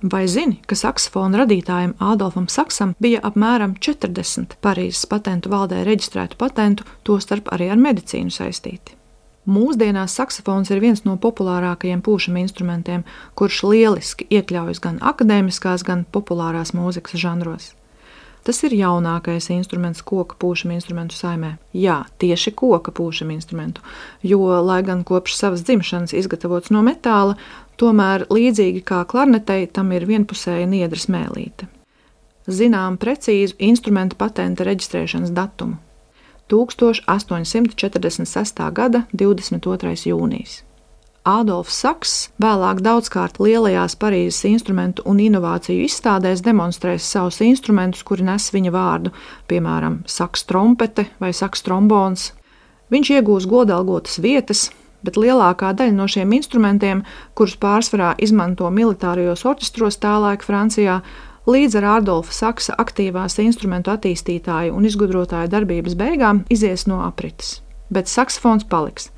Vai zini, ka saksofona radītājam Ādolfam Saksam bija apmēram 40 Parīzes patentu valdē reģistrētu patentu, tostarp arī ar medicīnu saistīti? Mūsdienās saksofons ir viens no populārākajiem pūšama instrumentiem, kurš lieliski iekļaujas gan akadēmiskās, gan populārās mūzikas žanros. Tas ir jaunākais instruments koka pūšama instrumentu saimē. Jā, tieši koka pūšama instrumentu, jo, lai gan kopš savas dzimšanas izgatavots no metāla, tomēr līdzīgi kā klarnetei, tam ir vienpusēja niedra smēlīte. Zinām precīzu instrumenta patenta reģistrēšanas datumu – 1846. gada 22. jūnijas. Ādolfs Saks vēlāk daudzkārt lielajās Parīzes instrumentu un inovāciju izstādēs demonstrēs savus instrumentus, kuri nes viņa vārdu, piemēram, saks trompete vai saks trombons. Viņš iegūs godalgotas vietas, bet lielākā daļa no šiem instrumentiem, kurus pārsvarā izmanto militārajos orķestros tālaik Francijā, līdz ar Ādolfa Saksa aktīvās instrumentu attīstītāju un izgudrotāju darbības beigām izies no aprites. Bet saksofons paliks.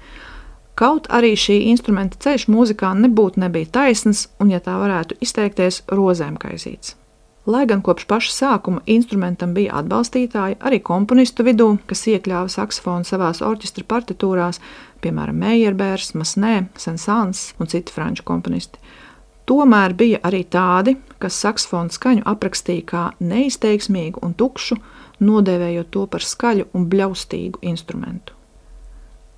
Kaut arī šī instrumenta ceļš mūzikā nebija taisns un, ja tā varētu izteikties, rozēm kaizīts. Lai gan kopš paša sākuma instrumentam bija atbalstītāji arī komponistu vidū, kas iekļāva saksofonu savās orķestra partitūrās, piemēram, Meyerbeers, Masnē, Saint-Saëns un citi franču komponisti. Tomēr bija arī tādi, kas saksofonu skaņu aprakstīja kā neizteiksmīgu un tukšu, nodēvējot to par skaļu un bļaustīgu instrumentu.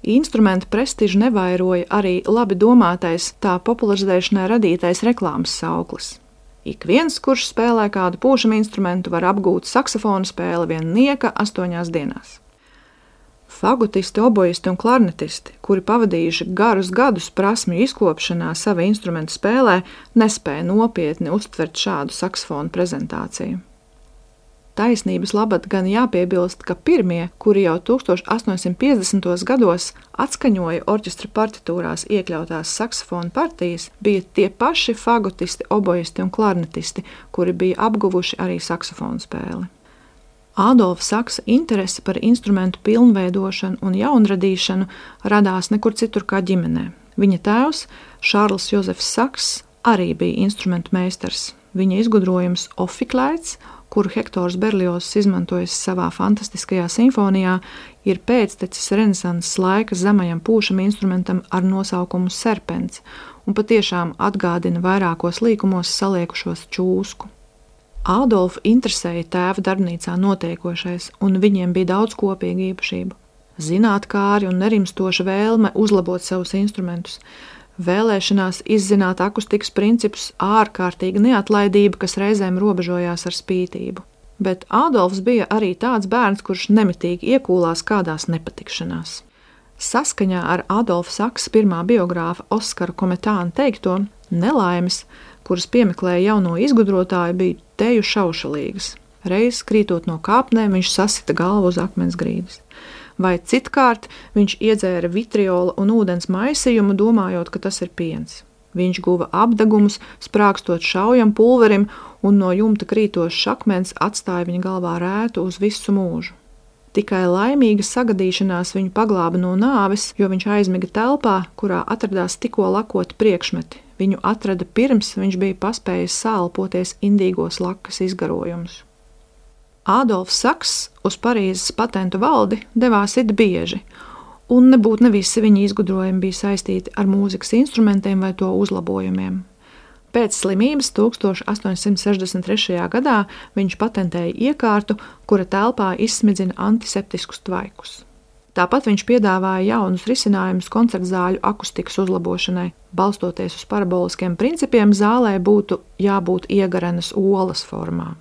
Instrumenta prestižu nevairoja arī labi domātais, tā popularizēšanai radītais reklāmas sauklis. Ik viens, kurš spēlē kādu pūšama instrumentu, var apgūt saksofona spēli vien nieka 8 dienās. Fagutisti, obojisti un klarnetisti, kuri pavadījuši garus gadus prasmju izkopšanā sava instrumenta spēlē, nespēja nopietni uztvert šādu saksofona prezentāciju. Taisnības labad gan jāpiebilst, ka pirmie, kuri jau 1850. gados atskaņoja orķestra partitūrās iekļautās saksofona partijas, bija tie paši fagutisti, obojisti un klarnetisti, kuri bija apguvuši arī saksofona spēli. Ādolfa Saksa interese par instrumentu pilnveidošanu un jaunradīšanu radās nekur citur kā ģimenē. Viņa tēvs, Šārls Jozefs Saks, arī bija instrumentu meistars. Viņa izgudrojums ofiklēts, kuru Hektors Berlioz izmantojis savā fantastiskajā simfonijā, ir pēctecis renesanses laika zemajam pūšama instrumentam ar nosaukumu serpents un patiešām atgādina vairākos līkumos saliekušos čūsku. Ādolfu interesēja tēva darbnīcā notiekošais, un viņiem bija daudz kopīgu īpašību. Zinātkāri un nerimstoša vēlme uzlabot savus instrumentus, vēlēšanās izzināt akustikas principus, ārkārtīga neatlaidība, kas reizēm robežojās ar spītību. Bet Ādolfs bija arī tāds bērns, kurš nemitīgi iekūlās kādās nepatikšanās. Saskaņā ar Ādolfa Saksa pirmā biogrāfa Oskara Kometāna teikto, nelaimes, kuras piemeklēja jauno izgudrotāju, bija teju šaušalīgas. Reiz krītot no kāpnēm, viņš sasita galvu uz akmens grīdas. Vai citkārt viņš iedzēra vitriola un ūdens maisījumu, domājot, ka tas ir piens. Viņš guva apdegumus, sprākstot šaujam pulverim, un no jumta krītošs akmens atstāja viņa galvā rētu uz visu mūžu. Tikai laimīga sagadīšanās viņu paglāba no nāves, jo viņš aizmiga telpā, kurā atradās tikko lakoti priekšmeti. Viņu atrada pirms viņš bija paspējis sālpoties indīgos lakas izgarojumus. Ādolfs Saks uz Parīzes patentu valdi devās it bieži, un nebūtu ne visi viņa izgudrojumi bija saistīti ar mūzikas instrumentiem vai to uzlabojumiem. Pēc slimības 1863. gadā viņš patentēja iekārtu, kura telpā izsmidzina antiseptiskus tvaikus. Tāpat viņš piedāvāja jaunus risinājumus koncertzāļu akustikas uzlabošanai. Balstoties uz paraboliskiem principiem, zālē būtu jābūt iegarenas olas formā.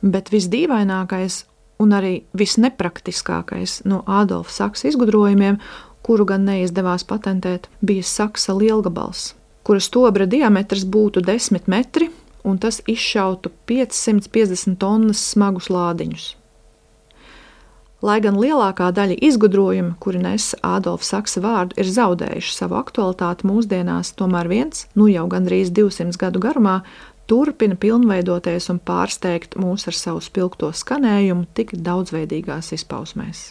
Bet visdīvainākais un arī visnepraktiskākais no Ādolfa Saksa izgudrojumiem, kuru gan neizdevās patentēt, bija saksa lielgabals, kura stobra diametrs būtu 10 metri, un tas izšautu 550 tonnas smagus lādiņus. Lai gan lielākā daļa izgudrojumu, kuri nesa Ādolfa Saksa vārdu, ir zaudējuši savu aktualitāti mūsdienās, tomēr viens, jau gandrīz 200 gadu garumā, turpina pilnveidoties un pārsteigt mūs ar savu spilgto skanējumu tik daudzveidīgās izpausmēs.